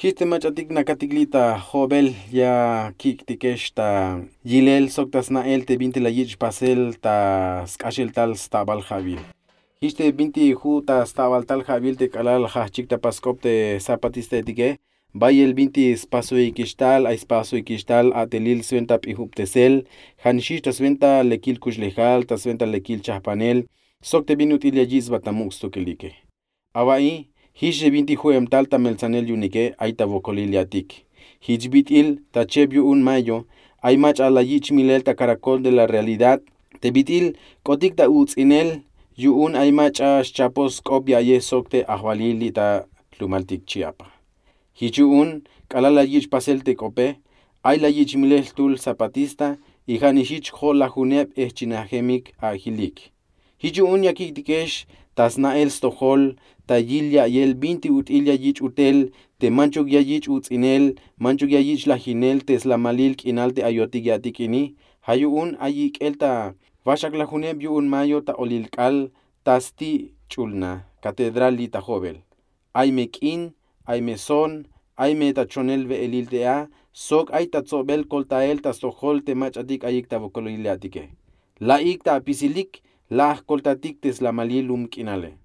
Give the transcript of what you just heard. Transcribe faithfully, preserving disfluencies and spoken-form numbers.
Jich te mach'atik nakatik li' ta jo'bel ya kik'tikex ta yilel sok ta sna'el te bintik la yich' pasel ta sk'axel tal stabal ja'wil. Jich te bintik ju' ta stabal tal ja'wil te k'alal la jajch'ik ta pask'op te zapatistaetike, bayel bintik spasoyikix tal, ay spasoyikix tal a'telil swenta p'ijubtesel, ja'nixix ta swenta lekil kuxlejal, ta swenta lekil chajpanel, sok te bin ut'il ya yich' sba ta muk' stukilike. Awa'i, jich te bintik ju'em tal ta meltsanel yu'unike ay ta wokolil ya'tik. Jich bit'il ta cheb yu'un mayo, ay mach'a la yich' milel ta Caracol de la Realidad te bit'il k'otik ta uts'inel yu'un ay mach'a xchapoj sk'op ya'yej sok te ajwalil li' ta jlumaltik Chiapa. Jich yu'un k'alal la yich' pasel te k'ope, ay la yich' milel jtul zapatista, y ja'nixix jich jo'lajuneb ejchinajemik ajilik. Jich yu'un ya kik'tikex ta sna'el stojol, ta yil ya'yel bintik ut'il ya yich' utel, te manchuk ya yich' uts'inel, manchuk ya yich' lajinel te slamalil k'inal te ayotik ya'tik ini. Ja' yu'un ay ik'el ta waxaklajuneb yu'un mayo ta olil k'aal ta sti' ch'ulna Catedral li' ta jo'bel. Ay me k'in, ay me son, ay me ta chonel we'elil te a, sok ay ta tsobel koltael ta stojol te mach'atik ayik ta wokolil ya'tike. La'ik ta apisilik, la ajkoltatik te slamalil lum k'inale.